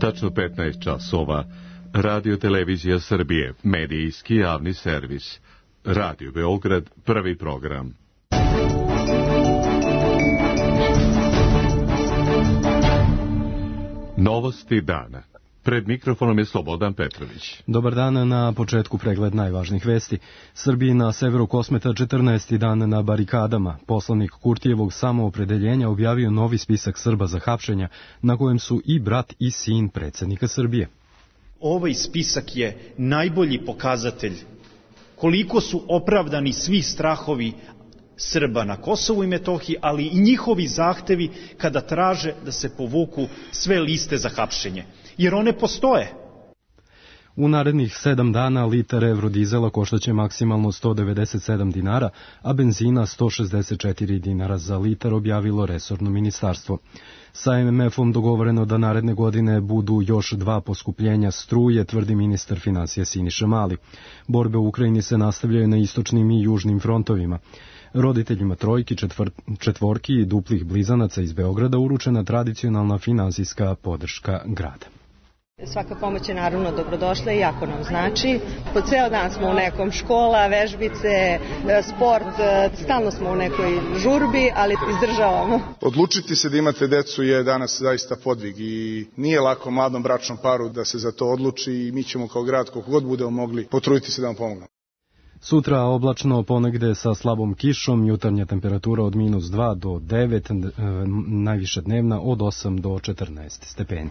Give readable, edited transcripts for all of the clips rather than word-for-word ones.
Tačno 15 časova. Radio Televizija Srbije, medijski javni servis. Radio Beograd, prvi program. Novosti dana. Pred mikrofonom je Slobodan Petrović. Dobar dan, na početku pregled najvažnijih vesti. Srbiji na severu Kosmeta 14. dan na barikadama. Poslanik Kurtijevog samoopredeljenja objavio novi spisak Srba za hapšenja, na kojem su i brat i sin predsjednika Srbije. Ovaj spisak je najbolji pokazatelj koliko su opravdani svi strahovi Srba na Kosovu i Metohiji, ali i njihovi zahtevi kada traže da se povuku sve liste za hapšenje. Jer one postoje. U narednih 7 dana litar evrodizela koštaće maksimalno 197 dinara, a benzina 164 dinara za litar, objavilo resorno ministarstvo. Sa MMF-om dogovoreno da naredne godine budu još 2 poskupljenja struje, tvrdi ministar finansija Siniša Mali. Borbe u Ukrajini se nastavljaju na istočnim i južnim frontovima. Roditeljima trojki, četvorki i duplih blizanaca iz Beograda uručena tradicionalna finansijska podrška grada. Svaka pomoć je naravno dobrodošla i jako nam znači. Po ceo dan smo u nekom, škola, vežbice, sport, stalno smo u nekoj žurbi, ali izdržavamo. Odlučiti se da imate decu je danas zaista podvig i nije lako mladom bračnom paru da se za to odluči i mi ćemo kao grad, koliko god budemo mogli, potruditi se da vam pomognemo. Sutra oblačno, ponegde sa slabom kišom, jutarnja temperatura od -2 do 9, najviša dnevna od 8 do 14 stepeni.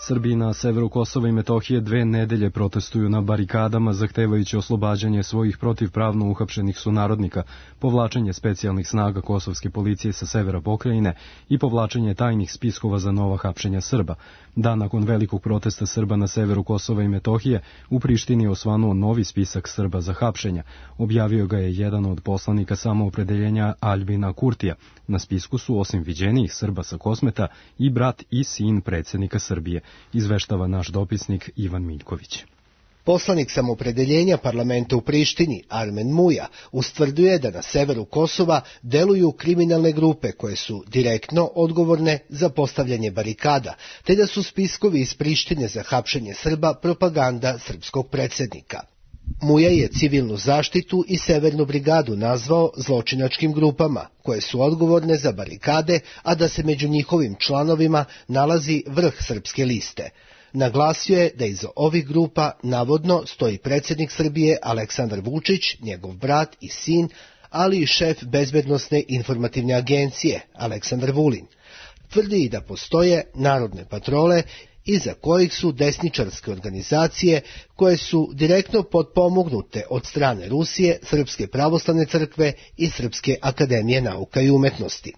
Srbi na severu Kosova i Metohije 2 nedelje protestuju na barikadama zahtevajući oslobađanje svojih protivpravno uhapšenih sunarodnika, povlačenje specijalnih snaga kosovske policije sa severa pokrajine i povlačenje tajnih spiskova za nova hapšenja Srba. Dan nakon velikog protesta Srba na severu Kosova i Metohije, u Prištini je osvanuo novi spisak Srba za hapšenja. Objavio ga je jedan od poslanika samoopredeljenja Aljbina Kurtija. Na spisku su osim viđenijih Srba sa Kosmeta i brat i sin predsjednika Srbije, izveštava naš dopisnik Ivan Miljković. Poslanik samoopredeljenja parlamenta u Prištini, Armen Muja, ustvrduje da na severu Kosova deluju kriminalne grupe koje su direktno odgovorne za postavljanje barikada, te da su spiskovi iz Prištine za hapšenje Srba propaganda srpskog predsjednika. Muja je civilnu zaštitu i severnu brigadu nazvao zločinačkim grupama, koje su odgovorne za barikade, a da se među njihovim članovima nalazi vrh srpske liste. Naglasio je da iza ovih grupa navodno stoji predsjednik Srbije Aleksandar Vučić, njegov brat i sin, ali i šef bezbednosne informativne agencije Aleksandar Vulin. Tvrdi i da postoje narodne patrole iza kojih su desničarske organizacije koje su direktno potpomognute od strane Rusije, Srpske pravoslavne crkve i Srpske akademije nauka i umetnosti.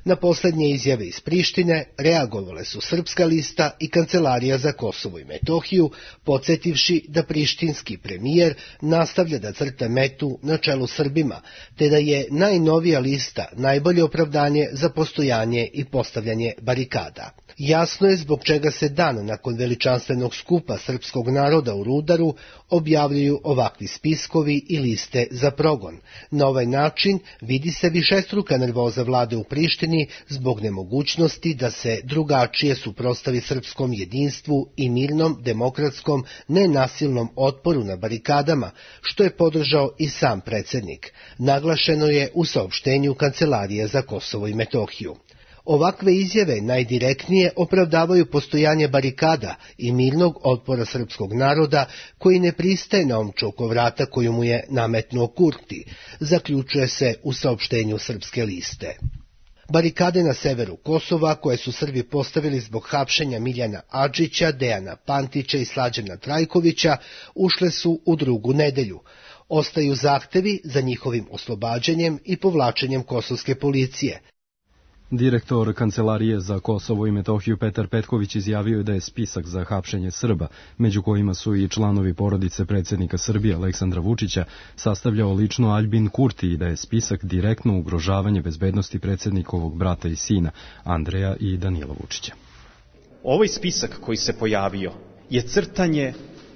Na posljednje izjave iz Prištine reagovale su Srpska lista i Kancelarija za Kosovo i Metohiju, podsjetivši da prištinski premijer nastavlja da crta metu na čelu Srbima, te da je najnovija lista najbolje opravdanje za postojanje i postavljanje barikada. Jasno je zbog čega se dan nakon veličanstvenog skupa srpskog naroda u Rudaru objavljuju ovakvi spiskovi i liste za progon. Na ovaj način vidi se višestruka nervoza vlade u Prištini zbog nemogućnosti da se drugačije suprotstavi srpskom jedinstvu i mirnom, demokratskom, nenasilnom otporu na barikadama, što je podržao i sam predsjednik. Naglašeno je u saopštenju Kancelarije za Kosovo i Metohiju. Ovakve izjave najdirektnije opravdavaju postojanje barikada i mirnog otpora srpskog naroda koji ne pristaje na omču oko vrata koju mu je nametnuo Kurti, zaključuje se u saopštenju Srpske liste. Barikade na severu Kosova, koje su Srbi postavili zbog hapšenja Miljana Adžića, Dejana Pantića i Slađana Trajkovića, ušle su u 2. nedelju. Ostaju zahtevi za njihovim oslobađanjem i povlačenjem kosovske policije. Direktor Kancelarije za Kosovo i Metohiju Petar Petković izjavio je da je spisak za hapšenje Srba, među kojima su i članovi porodice predsjednika Srbije Aleksandra Vučića, sastavljao lično Aljbin Kurti i da je spisak direktno ugrožavanje bezbednosti predsjednikovog brata i sina, Andreja i Danila Vučića. Ovaj spisak koji se pojavio je crtanje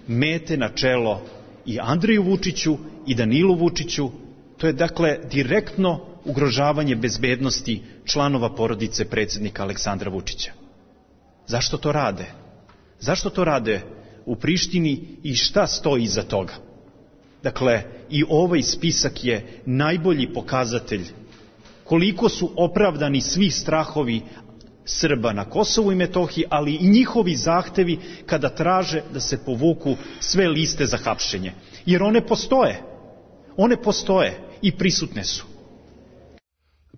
mete na čelo i Andreju Vučiću i Danilu Vučiću. To je dakle direktno ugrožavanje bezbednosti članova porodice predsjednika Aleksandra Vučića. Zašto to rade? Zašto to rade u Prištini i šta stoji iza toga? Dakle, i ovaj spisak je najbolji pokazatelj koliko su opravdani svi strahovi Srba na Kosovu i Metohiji, ali i njihovi zahtevi kada traže da se povuku sve liste za hapšenje. Jer one postoje i prisutne su.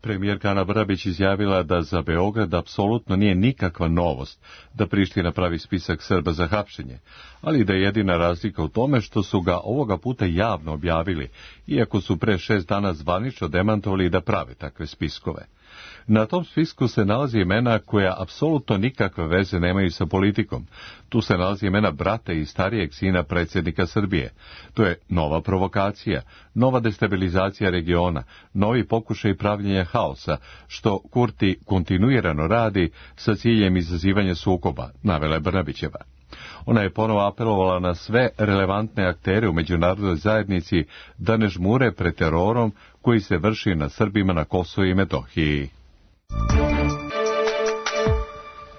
Premijerka Ana Brnabić izjavila da za Beograd apsolutno nije nikakva novost da Priština pravi spisak Srba za hapšenje, ali da je jedina razlika u tome što su ga ovoga puta javno objavili, iako su pre 6 dana zvanično demantovali da prave takve spiskove. Na tom spisku se nalazi imena koja apsolutno nikakve veze nemaju sa politikom. Tu se nalazi imena brata i starijeg sina predsjednika Srbije. To je nova provokacija, nova destabilizacija regiona, novi pokušaj pravljenja haosa, što Kurti kontinuirano radi sa ciljem izazivanja sukoba, navela je Brnabićeva. Ona je ponovo apelovala na sve relevantne aktere u međunarodnoj zajednici da ne žmure pred terorom koji se vrši na Srbima na Kosovu i Metohiji.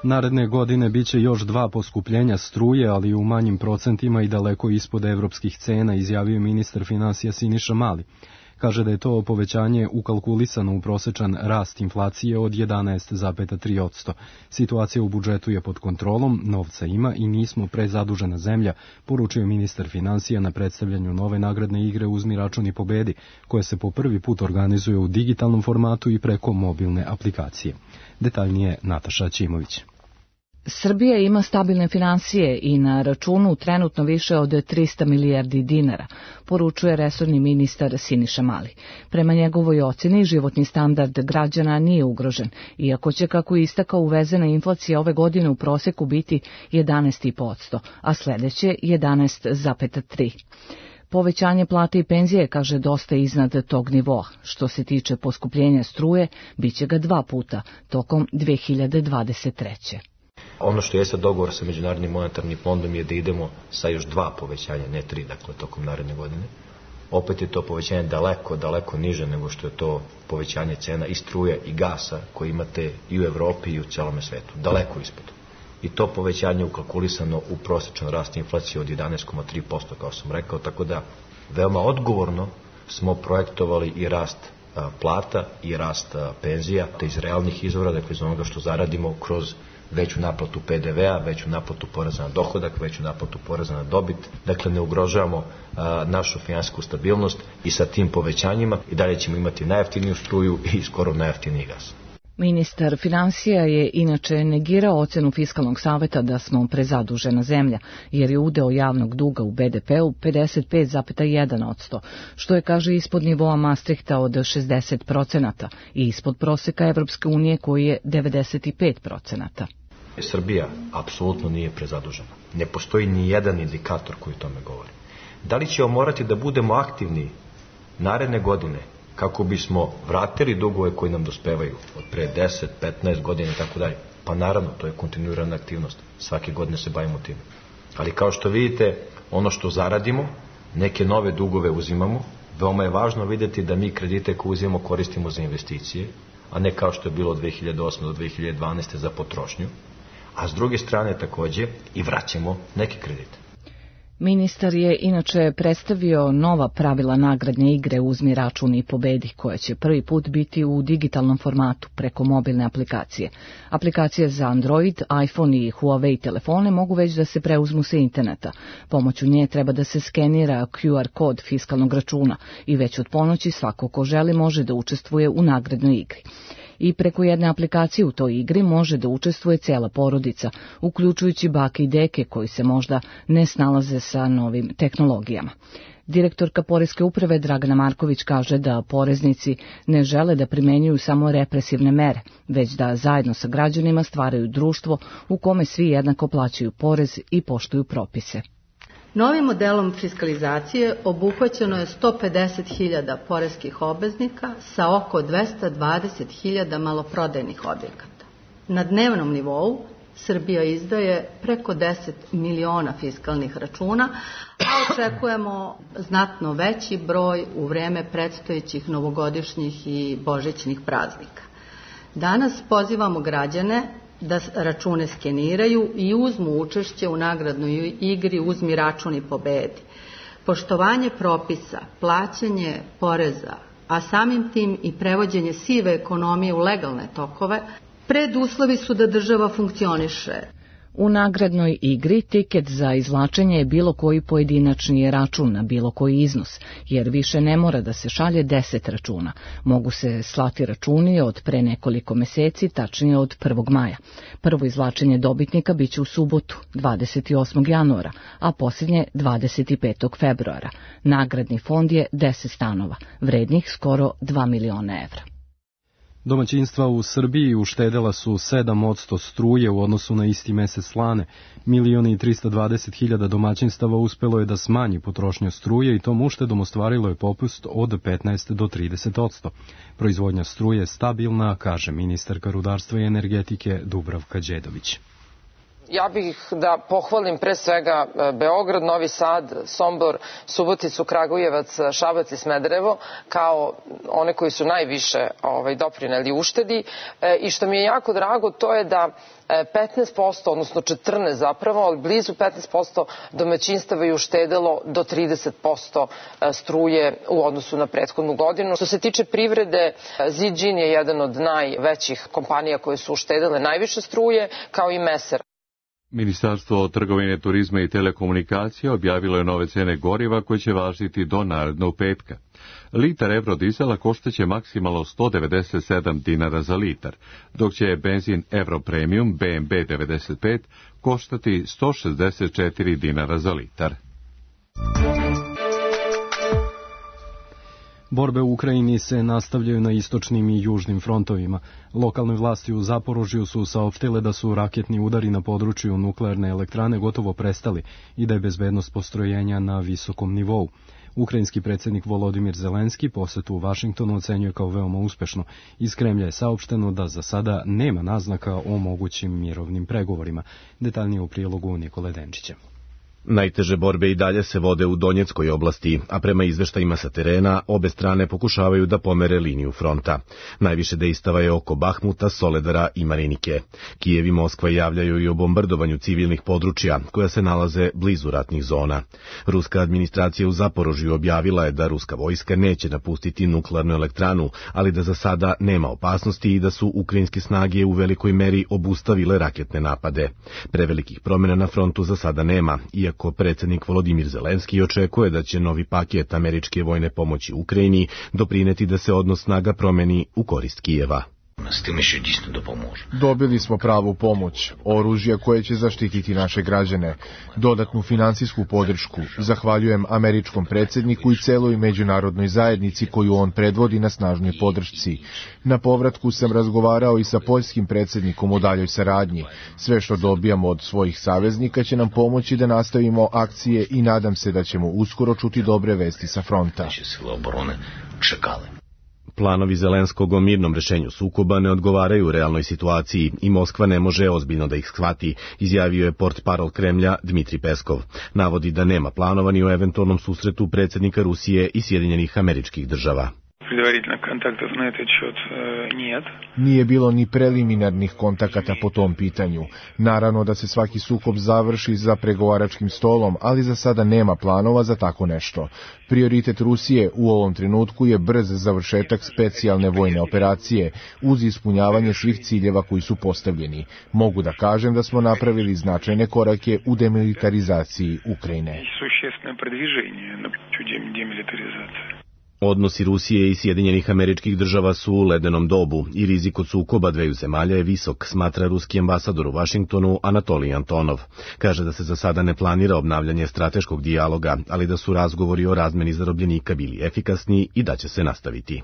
Naredne godine biće još 2 poskupljenja struje, ali u manjim procentima i daleko ispod evropskih cena, izjavio ministar finansija Siniša Mali. Kaže da je to povećanje ukalkulisano u prosečan rast inflacije od 11,3%. Situacija u budžetu je pod kontrolom, novca ima i nismo prezadužena zemlja, poručio ministar finansija na predstavljanju nove nagradne igre Uzmi račun i pobedi, koje se po prvi put organizuje u digitalnom formatu i preko mobilne aplikacije. Detaljnije Nataša Ćimović. Srbija ima stabilne finansije i na računu trenutno više od 300 milijardi dinara, poručuje resorni ministar Siniša Mali. Prema njegovoj ocjeni, životni standard građana nije ugrožen, iako će, kako je istakao, uvezena inflacija ove godine u proseku biti 11,5%, a sledeće 11,3%. Povećanje plate i penzije, kaže, dosta iznad tog nivoa. Što se tiče poskupljenja struje, biće ga 2 puta tokom 2023. Ono što jeste dogovor sa Međunarodnim monetarnim fondom je da idemo sa još 2 povećanja, ne 3, dakle, tokom naredne godine. Opet je to povećanje daleko niže nego što je to povećanje cena i struje i gasa koje imate i u Evropi i u celome svetu. Daleko ispod. I to povećanje ukalkulisano u prosječan rast inflacije od 11,3%, kao sam rekao, tako da veoma odgovorno smo projektovali i rast plata i rast penzija, te iz realnih izvora, dakle iz onoga što zaradimo kroz veću naplatu PDV-a, veću naplatu poreza na dohodak, veću naplatu poreza na dobit. Dakle, ne ugrožavamo našu finansijsku stabilnost i sa tim povećanjima i dalje ćemo imati najjeftiniju struju i skoro najjeftiniji gas. Ministar finansija je inače negirao ocenu Fiskalnog saveta da smo prezadužena zemlja, jer je udeo javnog duga u BDP-u 55,1%, što je, kaže, ispod nivoa Maastrichta od 60% i ispod proseka Evropske unije koji je 95%. Srbija apsolutno nije prezadužena. Ne postoji ni jedan indikator koji tome govori. Da li ćemo morati da budemo aktivni naredne godine kako bismo vratili dugove koji nam dospevaju od pre 10, 15 godina i tako dalje? Pa naravno, to je kontinuirana aktivnost. Svake godine se bavimo tim. Ali kao što vidite, ono što zaradimo, neke nove dugove uzimamo. Veoma je važno vidjeti da mi kredite koje uzimamo koristimo za investicije, a ne kao što je bilo od 2008. do 2012. za potrošnju. A s druge strane takođe i vraćamo neke kredite. Ministar je inače predstavio nova pravila nagradne igre Uzmi račun i pobedi, koja će prvi put biti u digitalnom formatu preko mobilne aplikacije. Aplikacije za Android, iPhone i Huawei telefone mogu već da se preuzmu sa interneta. Pomoću nje treba da se skenira QR kod fiskalnog računa i već od ponoći svako ko želi može da učestvuje u nagradnoj igri. I preko jedne aplikacije u toj igri može da učestvuje cela porodica, uključujući bake i deke koji se možda ne snalaze sa novim tehnologijama. Direktorka Poreske uprave Dragana Marković kaže da poreznici ne žele da primenjuju samo represivne mere, već da zajedno sa građanima stvaraju društvo u kome svi jednako plaćaju porez i poštuju propise. Novim modelom fiskalizacije obuhvaćeno je 150.000 poreskih obveznika sa oko 220.000 maloprodajnih objekata. Na dnevnom nivou Srbija izdaje preko 10 miliona fiskalnih računa, a očekujemo znatno veći broj u vreme predstojećih novogodišnjih i božićnih praznika. Danas pozivamo građane da račune skeniraju i uzmu učešće u nagradnoj igri Uzmi račun i pobedi. Poštovanje propisa, plaćanje poreza, a samim tim i prevođenje sive ekonomije u legalne tokove, preduslovi su da država funkcioniše. U nagradnoj igri tiket za izvlačenje je bilo koji pojedinačni račun na bilo koji iznos, jer više ne mora da se šalje 10 računa. Mogu se slati računi od pre nekoliko meseci, tačnije od 1. maja. Prvo izvlačenje dobitnika biće u subotu, 28. januara, a posljednje 25. februara. Nagradni fond je 10 stanova, vrednih skoro 2 miliona evra. Domaćinstva u Srbiji uštedela su 7% struje u odnosu na isti mesec lane. 1.320.000 domaćinstava uspelo je da smanji potrošnju struje i tom uštedom ostvarilo je popust od 15 do 30%. Proizvodnja struje je stabilna, kaže ministarka rudarstva i energetike Dubravka Đedović. Ja bih da pohvalim pre svega Beograd, Novi Sad, Sombor, Suboticu, Kragujevac, Šabac i Smederevo kao one koji su najviše doprineli uštedi i što mi je jako drago to je da 15%, odnosno 14% zapravo, ali blizu 15% domaćinstava je uštedelo do 30% struje u odnosu na prethodnu godinu. Što se tiče privrede, Ziđin je jedan od najvećih kompanija koje su uštedele najviše struje, kao i Meser. Ministarstvo trgovine, turizma i telekomunikacije objavilo je nove cene goriva koje će važiti do narednog petka. Litar Eurodizela koštaće maksimalno 197 dinara za litar, dok će benzin Euro Premium BMB 95 koštati 164 dinara za litar. Borbe u Ukrajini se nastavljaju na istočnim i južnim frontovima. Lokalne vlasti u Zaporožju su saopštile da su raketni udari na području nuklearne elektrane gotovo prestali i da je bezbednost postrojenja na visokom nivou. Ukrajinski predsjednik Volodimir Zelenski posetu u Vašingtonu ocenjuje kao veoma uspešno. Iz Kremlja je saopšteno da za sada nema naznaka o mogućim mirovnim pregovorima. Detaljnije u prilogu Nikole Denčića. Najteže borbe i dalje se vode u Donjeckoj oblasti, a prema izveštajima sa terena, obe strane pokušavaju da pomere liniju fronta. Najviše dejstava je oko Bahmuta, Soledara i Marinike. Kijev i Moskva javljaju i o bombardovanju civilnih područja, koja se nalaze blizu ratnih zona. Ruska administracija u Zaporožju objavila je da ruska vojska neće napustiti nuklearnu elektranu, ali da za sada nema opasnosti i da su ukrajinske snage u velikoj meri obustavile raketne napade. Prevelikih promjena na frontu za sada nema, iako predsjednik Volodimir Zelenski očekuje da će novi paket američke vojne pomoći Ukrajini doprineti da se odnos snaga promeni u korist Kijeva. Dobili smo pravu pomoć, oružje koje će zaštititi naše građane, dodatnu finansijsku podršku. Zahvaljujem američkom predsjedniku i celoj međunarodnoj zajednici koju on predvodi na snažnoj podršci. Na povratku sam razgovarao i sa poljskim predsjednikom o daljoj saradnji. Sve što dobijamo od svojih saveznika će nam pomoći da nastavimo akcije i nadam se da ćemo uskoro čuti dobre vesti sa fronta. Planovi Zelenskog o mirnom rešenju sukoba ne odgovaraju realnoj situaciji i Moskva ne može ozbiljno da ih shvati, izjavio je portparol Kremlja Dmitri Peskov. Navodi da nema planova ni o eventualnom susretu predsjednika Rusije i Sjedinjenih Američkih Država. Nije bilo ni preliminarnih kontakata po tom pitanju. Naravno da se svaki sukob završi za pregovaračkim stolom, ali za sada nema planova za tako nešto. Prioritet Rusije u ovom trenutku je brz završetak specijalne vojne operacije uz ispunjavanje svih ciljeva koji su postavljeni. Mogu da kažem da smo napravili značajne korake u demilitarizaciji Ukrajine. Odnosi Rusije i Sjedinjenih Američkih Država su u ledenom dobu i rizik od sukoba dveju zemalja je visok, smatra ruski ambasador u Vašingtonu Anatolij Antonov. Kaže da se za sada ne planira obnavljanje strateškog dijaloga, ali da su razgovori o razmeni zarobljenika bili efikasni i da će se nastaviti.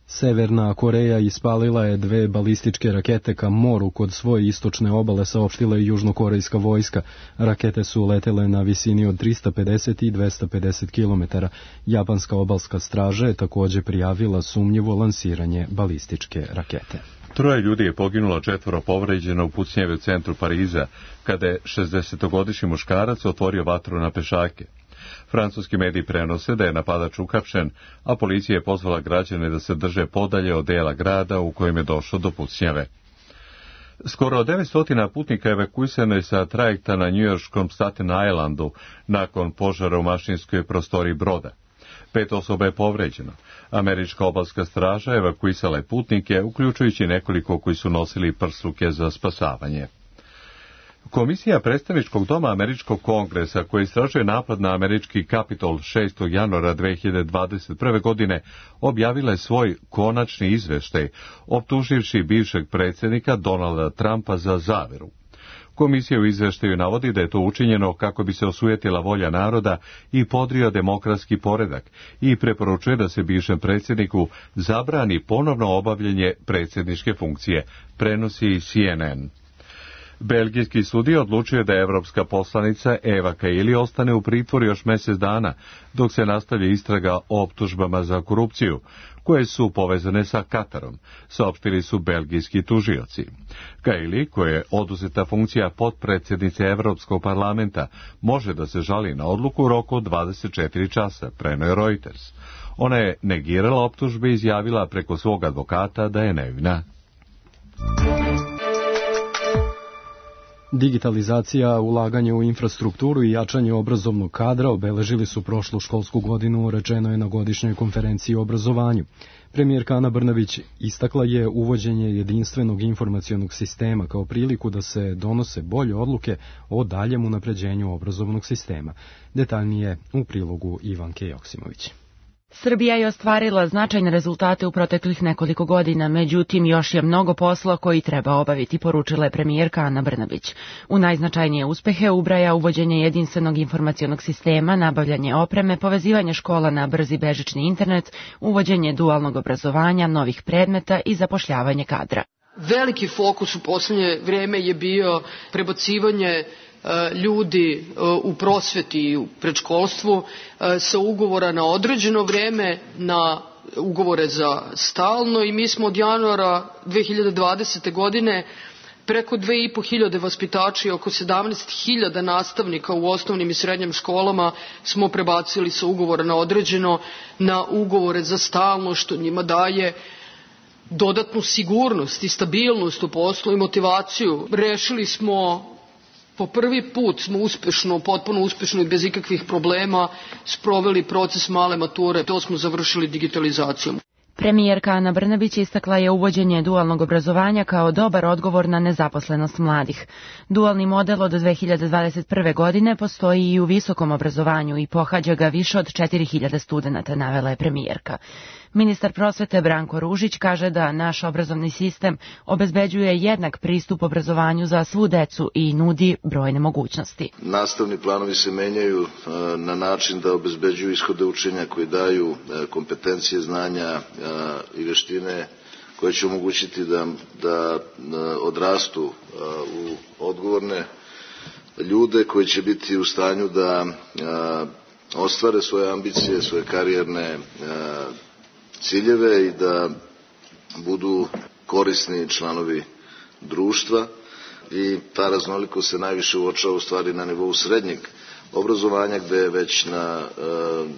Severna Koreja ispalila je 2 balističke rakete ka moru kod svoje istočne obale, saopštila je južnokorejska vojska. Rakete su letele na visini od 350 i 250 km. Japanska obalska straža je također prijavila sumnjivo lansiranje balističke rakete. 3 ljudi je poginulo, 4 povređeno u pucnjeve u centru Pariza, kada je 60-godišnji muškarac otvorio vatru na pešake. Francuski mediji prenose da je napadač uhapšen, a policija je pozvala građane da se drže podalje od dela grada u kojem je došlo do pucnjave. Skoro 900 putnika evakuisano je sa trajekta na njujorškom Staten Islandu nakon požara u mašinskoj prostoriji broda. 5 osoba je povređeno. Američka obalska straža evakuisala je putnike, uključujući nekoliko koji su nosili prsluke za spasavanje. Komisija predstavničkog doma Američkog kongresa, koji istražuje napad na američki Kapitol 6. januara 2021. godine, objavila je svoj konačni izveštaj, optuživši bivšeg predsjednika Donalda Trumpa za zaveru. Komisija u izveštaju navodi da je to učinjeno kako bi se osujetila volja naroda i podrio demokratski poredak i preporučuje da se bivšem predsjedniku zabrani ponovno obavljanje predsjedničke funkcije, prenosi CNN. Belgijski sudija odlučio da je evropska poslanica Eva Kaili ostane u pritvoru još mjesec dana, dok se nastavlja istraga o optužbama za korupciju, koje su povezane sa Katarom, saopštili su belgijski tužioci. Kaili, koja je oduzeta funkcija potpredsjednice Evropskog parlamenta, može da se žali na odluku u roku od 24 časa, preneo je Reuters. Ona je negirala optužbe i izjavila preko svog advokata da je nevina. Digitalizacija, ulaganje u infrastrukturu i jačanje obrazovnog kadra obeležili su prošlu školsku godinu, rečeno je na godišnjoj konferenciji o obrazovanju. Premijerka Ana Brnabić istakla je uvođenje jedinstvenog informacionog sistema kao priliku da se donose bolje odluke o daljem unapređenju obrazovnog sistema. Detaljnije u prilogu Ivanke Joksimović. Srbija je ostvarila značajne rezultate u proteklih nekoliko godina, međutim još je mnogo posla koji treba obaviti, poručila je premijerka Ana Brnabić. U najznačajnije uspehe ubraja uvođenje jedinstvenog informacionog sistema, nabavljanje opreme, povezivanje škola na brzi bežični internet, uvođenje dualnog obrazovanja, novih predmeta i zapošljavanje kadra. Veliki fokus u poslednje vreme je bio prebacivanje ljudi u prosveti i u predškolstvu sa ugovora na određeno vreme na ugovore za stalno i mi smo od januara 2020. godine preko 2.500 vaspitača i oko 17.000 nastavnika u osnovnim i srednjim školama smo prebacili sa ugovora na određeno na ugovore za stalno, što njima daje dodatnu sigurnost i stabilnost u poslu i motivaciju. Rešili smo po prvi put smo uspešno, potpuno uspešno i bez ikakvih problema sproveli proces male mature. To smo završili digitalizacijom. Premijerka Ana Brnabić istakla je uvođenje dualnog obrazovanja kao dobar odgovor na nezaposlenost mladih. Dualni model od 2021. godine postoji i u visokom obrazovanju i pohađa ga više od 4.000 studenata, navela je premijerka. Ministar prosvete Branko Ružić kaže da naš obrazovni sistem obezbeđuje jednak pristup obrazovanju za svu decu i nudi brojne mogućnosti. Nastavni planovi se menjaju na način da obezbeđuju ishode učenja koji daju kompetencije, znanja i veštine koje će omogućiti da odrastu u odgovorne ljude koji će biti u stanju da ostvare svoje ambicije, svoje karijerne ciljeve i da budu korisni članovi društva i ta raznolikost se najviše uočava u stvari na nivou srednjeg obrazovanja, gde je već na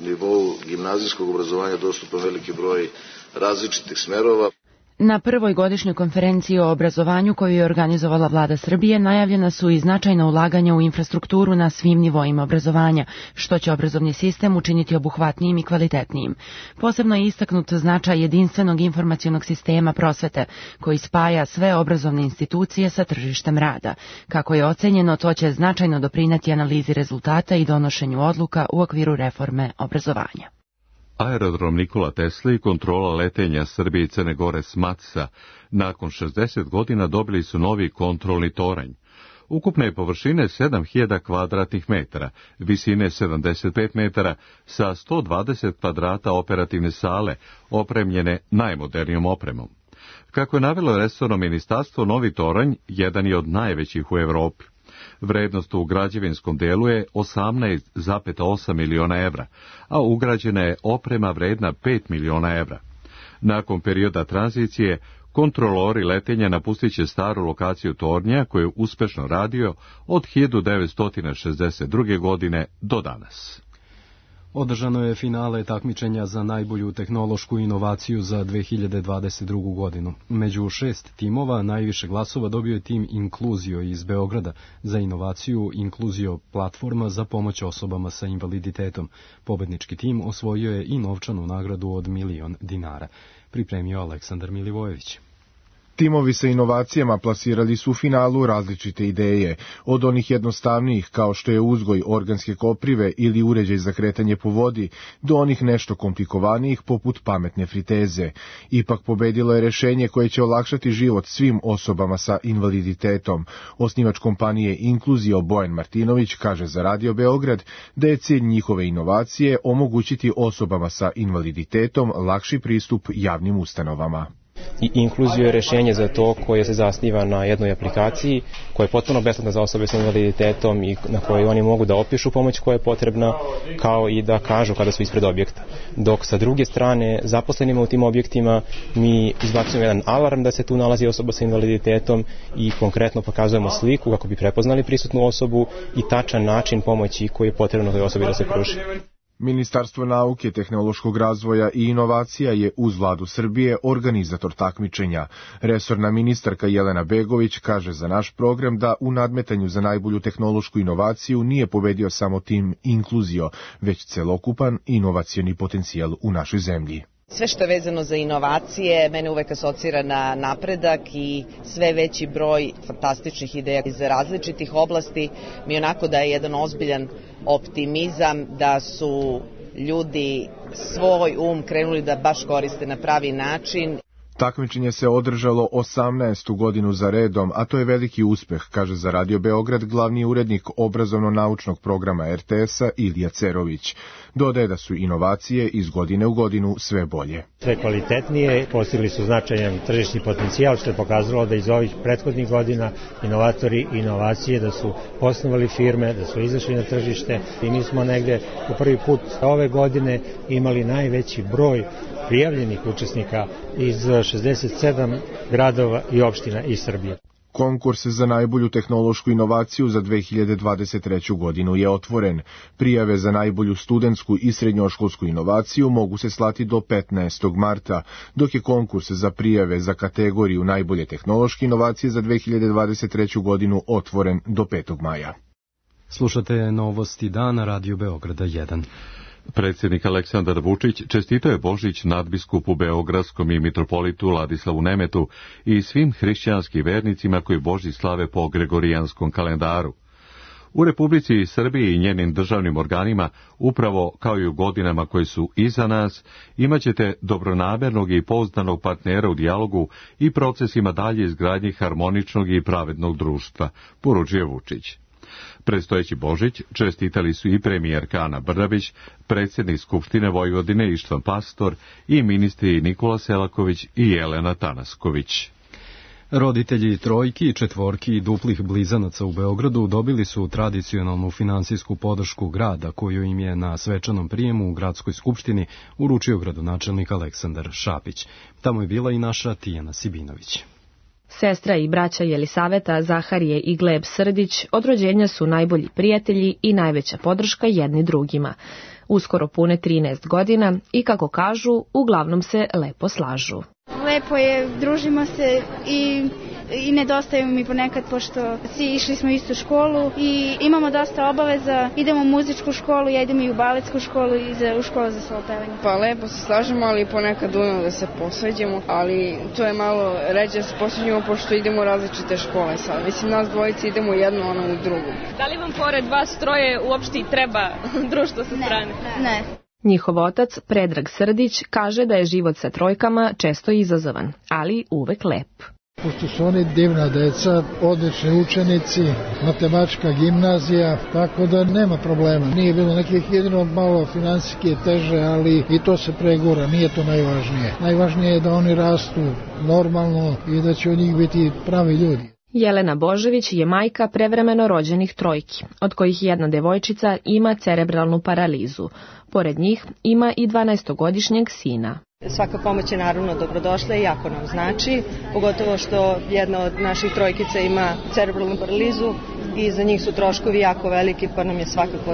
nivou gimnazijskog obrazovanja dostupan veliki broj različitih smerova. Na prvoj godišnjoj konferenciji o obrazovanju koju je organizovala Vlada Srbije najavljena su i značajna ulaganja u infrastrukturu na svim nivoima obrazovanja, što će obrazovni sistem učiniti obuhvatnijim i kvalitetnijim. Posebno je istaknut značaj jedinstvenog informacionog sistema prosvete, koji spaja sve obrazovne institucije sa tržištem rada. Kako je ocenjeno, to će značajno doprineti analizi rezultata i donošenju odluka u okviru reforme obrazovanja. Aerodrom Nikola Tesla i kontrola letenja Srbije i Crne Gore SMATS-a nakon 60 godina dobili su novi kontrolni toranj. Ukupne površine 7.000 kvadratnih metara, visine 75 metara, sa 120 kvadrata operativne sale, opremljene najmodernijom opremom. Kako je navelo resorno ministarstvo, novi toranj jedan je od najvećih u Evropi. Vrednost u građevinskom delu je 18,8 miliona evra, a ugrađena je oprema vredna 5 miliona evra. Nakon perioda tranzicije, kontrolori letenja napustit će staru lokaciju tornja koju je uspešno radio od 1962. godine do danas. Održano je finale takmičenja za najbolju tehnološku inovaciju za 2022. godinu. Među 6 timova najviše glasova dobio je tim Inkluzio iz Beograda za inovaciju Inkluzio platforma za pomoć osobama sa invaliditetom. Pobednički tim osvojio je i novčanu nagradu od 1.000.000 dinara. Pripremio Aleksandar Milivojević. Timovi sa inovacijama plasirali su u finalu različite ideje, od onih jednostavnijih kao što je uzgoj organske koprive ili uređaj za kretanje po vodi, do onih nešto komplikovanijih poput pametne friteze. Ipak pobedilo je rešenje koje će olakšati život svim osobama sa invaliditetom. Osnivač kompanije Inkluzio Bojan Martinović kaže za Radio Beograd da je cilj njihove inovacije omogućiti osobama sa invaliditetom lakši pristup javnim ustanovama. I Inkluzio je rešenje za to koje se zasniva na jednoj aplikaciji koja je potpuno besplatna za osobe sa invaliditetom i na kojoj oni mogu da opišu pomoć koja je potrebna, kao i da kažu kada su ispred objekta. Dok sa druge strane zaposlenima u tim objektima mi izbacujemo jedan alarm da se tu nalazi osoba sa invaliditetom i konkretno pokazujemo sliku kako bi prepoznali prisutnu osobu i tačan način pomoći koji je potrebno toj osobi da se pruži. Ministarstvo nauke, tehnološkog razvoja i inovacija je uz Vladu Srbije organizator takmičenja. Resorna ministarka Jelena Begović kaže za naš program da u nadmetanju za najbolju tehnološku inovaciju nije pobedio samo tim Inkluzio, već celokupan inovacioni potencijal u našoj zemlji. Sve što je vezano za inovacije mene uvek asocira na napredak i sve veći broj fantastičnih ideja iz različitih oblasti mi onako da je jedan ozbiljan optimizam da su ljudi svoj krenuli da baš koriste na pravi način. Takmičenje se održalo 18. godinu za redom, a to je veliki uspeh, kaže za Radio Beograd glavni urednik obrazovno-naučnog programa RTS-a Ilija Cerović. Dodaje da su inovacije iz godine u godinu sve bolje. Sve kvalitetnije, postigli su značajan tržišni potencijal, što je pokazalo da iz ovih prethodnih godina inovatori i inovacije da su osnovali firme, da su izašli na tržište i mi smo negde u prvi put ove godine imali najveći broj prijavljenih učesnika iz 67 gradova i opština iz Srbije. Konkurs za najbolju tehnološku inovaciju za 2023. godinu je otvoren. Prijave za najbolju studentsku i srednjoškolsku inovaciju mogu se slati do 15. marta, dok je konkurs za prijave za kategoriju najbolje tehnološke inovacije za 2023. godinu otvoren do 5. maja. Slušate novosti dana Radio Beograda 1. Predsjednik Aleksandar Vučić čestitao je Božić nadbiskupu Beogradskom i mitropolitu Ladislavu Nemetu i svim hrišćanskim vernicima koji Božić slave po gregorijanskom kalendaru. U Republici Srbiji i njenim državnim organima, upravo kao i u godinama koje su iza nas, imaćete dobronamernog i pouzdanog partnera u dijalogu i procesima dalje izgradnje harmoničnog i pravednog društva, poručuje Vučić. Predstojeći Božić čestitali su i premijerka Ana Brnabić, predsjednik Skupštine Vojvodine Ištvan Pastor i ministri Nikola Selaković i Jelena Tanasković. Roditelji trojki, četvorki i duplih blizanaca u Beogradu dobili su tradicionalnu finansijsku podršku grada koju im je na svečanom prijemu u gradskoj skupštini uručio gradonačelnik Aleksandar Šapić. Tamo je bila i naša Tijana Sibinović. Sestra i braća Jelisaveta, Zaharije i Gleb Srdić od rođenja su najbolji prijatelji i najveća podrška jedni drugima. Uskoro pune 13 godina i, kako kažu, uglavnom se lepo slažu. Lepo je, družimo se i nedostaju mi ponekad, pošto svi išli smo u istu školu i imamo dosta obaveza. Idemo u muzičku školu, ja idem i u baletsku školu i u školu za solopevanje. Pa lepo se slažemo, ali ponekad da se posveđamo, ali to je malo ređe da se posveđamo pošto idemo u različite škole sad. Mislim, nas dvojice idemo jedno, ono u drugu. Da li vam pored vas troje uopšte i treba društvo sa strane? Ne. Njihov otac, Predrag Srdić, kaže da je život sa trojkama često izazovan, ali uvek lep. Pošto su oni divna deca, odlični učenici, matematička gimnazija, tako da nema problema. Nije bilo nekih, jedino malo finansijski teže, ali i to se pregura, nije to najvažnije. Najvažnije je da oni rastu normalno i da će od njih biti pravi ljudi. Jelena Božević je majka prevremeno rođenih trojki, od kojih jedna devojčica ima cerebralnu paralizu. Pored njih ima i 12-godišnjeg sina. Svaka pomoć je naravno dobrodošla i jako nam znači, pogotovo što jedna od naših trojkica ima cerebralnu paralizu i za njih su troškovi jako veliki, pa nam je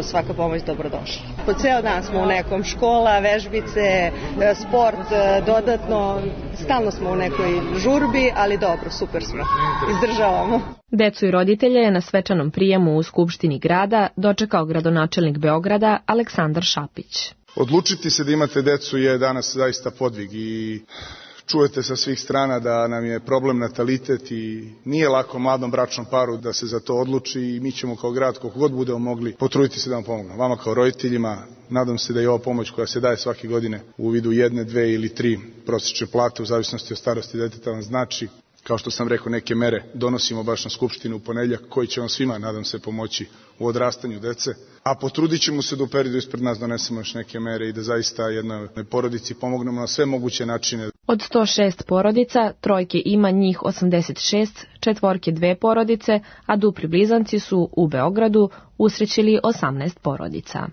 svaka pomoć dobrodošla. Po ceo dan smo u nekom, škola, vežbice, sport, dodatno, stalno smo u nekoj žurbi, ali dobro, super smo, izdržavamo. Decu i roditelje je na svečanom prijemu u Skupštini grada dočekao gradonačelnik Beograda Aleksandar Šapić. Odlučiti se da imate decu je danas zaista podvig i čujete sa svih strana da nam je problem natalitet i nije lako mladom bračnom paru da se za to odluči i mi ćemo kao grad koliko god budemo mogli potruditi se da vam pomognemo. Vama kao roditeljima nadam se da je ova pomoć koja se daje svake godine u vidu 1, 2 ili 3 prosječne plate u zavisnosti od starosti deteta vam znači. Kao što sam rekao, neke mere donosimo baš na Skupštinu u ponedeljak koji će vam svima, nadam se, pomoći u odrastanju dece. A potrudit ćemo se da u periodu ispred nas donesemo još neke mere i da zaista jednoj porodici pomognemo na sve moguće načine. Od 106 porodica, trojke ima njih 86, četvorke 2 porodice, a dupli blizanci su u Beogradu usrećili 18 porodica.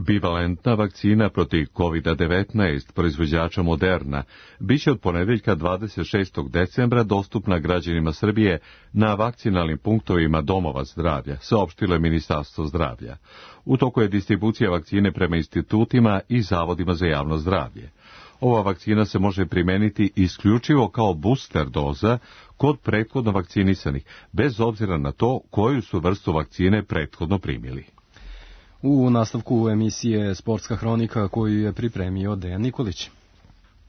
Bivalentna vakcina protiv COVID-19 proizvođača Moderna biće od ponedeljka 26. decembra dostupna građanima Srbije na vakcinalnim punktovima domova zdravlja, saopštilo je Ministarstvo zdravlja. U toku je distribucija vakcine prema institutima i zavodima za javno zdravlje. Ova vakcina se može primeniti isključivo kao booster doza kod prethodno vakcinisanih, bez obzira na to koju su vrstu vakcine prethodno primili. U nastavku emisije Sportska hronika koju je pripremio Dejan Nikolić.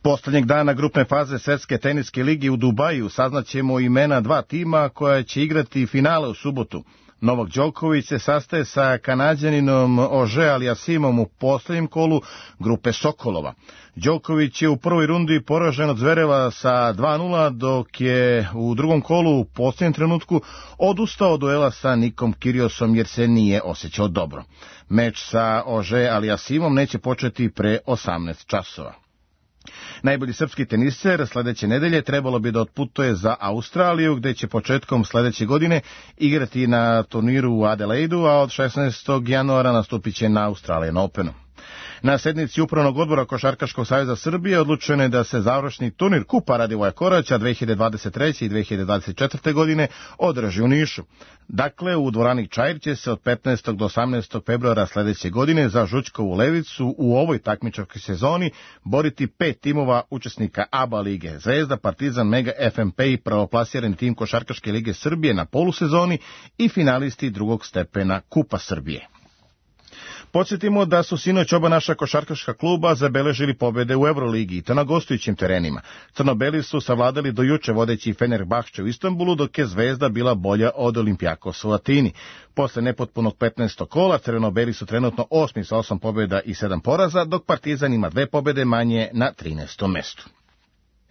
Poslednjeg dana grupne faze Svetske teniske ligi u Dubaju saznaćemo imena 2 tima koja će igrati finale u subotu. Novak Đoković se sastaje sa Kanađaninom Ože Aliasimom u poslednjem kolu grupe Sokolova. Đoković je u prvoj rundi poražen od Zvereva sa 2:0, dok je u drugom kolu u posljednjem trenutku odustao od duela sa Nikom Kyriosom jer se nije osjećao dobro. Meč sa Ože Aliasimom neće početi pre 18 časova. Najbolji srpski teniser sledeće nedelje trebalo bi da otputuje za Australiju, gde će početkom sledeće godine igrati na turniru u Adelaidu, a od 16. januara nastupit će na Australian Openu. Na sednici Upravnog odbora Košarkaškog saveza Srbije odlučeno je da se završni turnir Kupa Radivoja Koraća 2023. i 2024. godine održi u Nišu. Dakle, u dvorani Čair će se od 15. do 18. februara sledeće godine za Žućkovu Levicu u ovoj takmičarskoj sezoni boriti 5 timova učesnika ABA lige: Zvezda, Partizan, Mega, FMP i prvoplasirani tim Košarkaške lige Srbije na polusezoni i finalisti drugog stepena Kupa Srbije. Podsjetimo da su sinoć oba naša košarkaška kluba zabeležili pobede u Euroligi i to na gostujućim terenima. Crnobeli su savladali do juče vodeći Fenerbahče u Istanbulu, dok je Zvezda bila bolja od Olimpijakosa u Atini. Posle nepotpunog 15. kola, crvenobeli su trenutno 8. sa 8 pobjeda i 7 poraza, dok Partizan ima 2 pobjede manje na 13. mestu.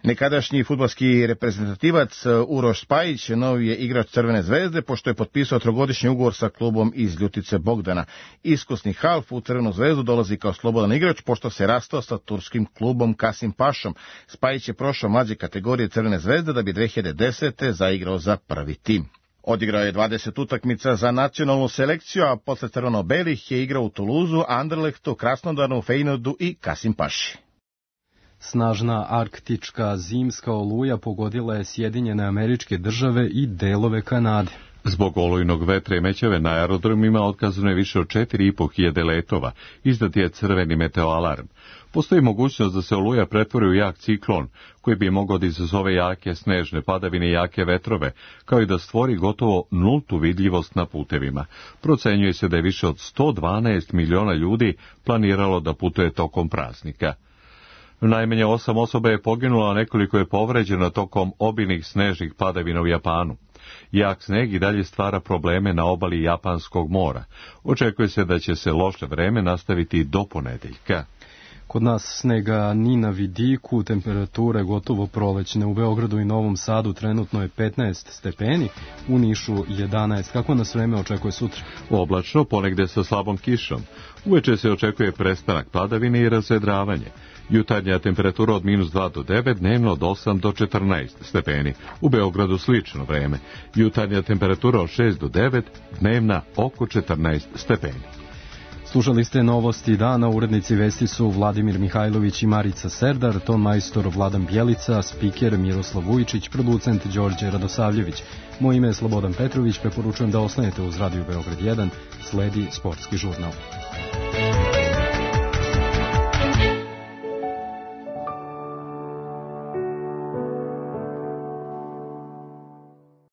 Nekadašnji fudbalski reprezentativac Uroš Spajić novi je igrač Crvene zvezde, pošto je potpisao 3-godišnji ugovor sa klubom iz Ljutice Bogdana. Iskusni half u Crvenu zvezdu dolazi kao slobodan igrač, pošto se rastao sa turskim klubom Kasim Pašom. Spajić je prošao mlađe kategorije Crvene zvezde da bi 2010. zaigrao za prvi tim. Odigrao je 20 utakmica za nacionalnu selekciju, a posle crveno-belih je igrao u Tuluzu, Anderlechtu, Krasnodaru, Feyenoordu i Kasim Paši. Snažna arktička zimska oluja pogodila je Sjedinjene Američke Države i delove Kanade. Zbog olujnog vetra i mećave na aerodromima otkazano je više od 4.500 letova. Izdat je crveni meteoalarm. Postoji mogućnost da se oluja pretvori u jak ciklon, koji bi mogao da izazove jake snežne padavine i jake vetrove, kao i da stvori gotovo nultu vidljivost na putevima. Procenjuje se da je više od 112 miliona ljudi planiralo da putuje tokom praznika. Najmanje 8 osoba je poginulo, a nekoliko je povređeno tokom obilnih snežnih padavina u Japanu. Jak sneg i dalje stvara probleme na obali Japanskog mora. Očekuje se da će se loše vreme nastaviti do ponedeljka. Kod nas snega ni na vidiku, temperature gotovo prolećne. U Beogradu i Novom Sadu trenutno je 15 stepeni, u Nišu 11. Kako nas vreme očekuje sutra? Oblačno, ponegde sa slabom kišom. Uveče se očekuje prestanak padavine i razvedravanje. Jutarnja temperatura od -2 do 9, dnevno od 8 do 14 stepeni. U Beogradu slično vreme. Jutarnja temperatura od 6 do 9, dnevna oko 14 stepeni. Slušali ste novosti dana, urednici vesti su Vladimir Mihajlović i Marica Serdar, ton majstor Vladan Bjelica, spiker Miroslav Vujčić, producent Đorđe Radosavljević. Moje ime je Slobodan Petrović, preporučujem da ostanete uz Radio Beograd 1, sledi sportski žurnal.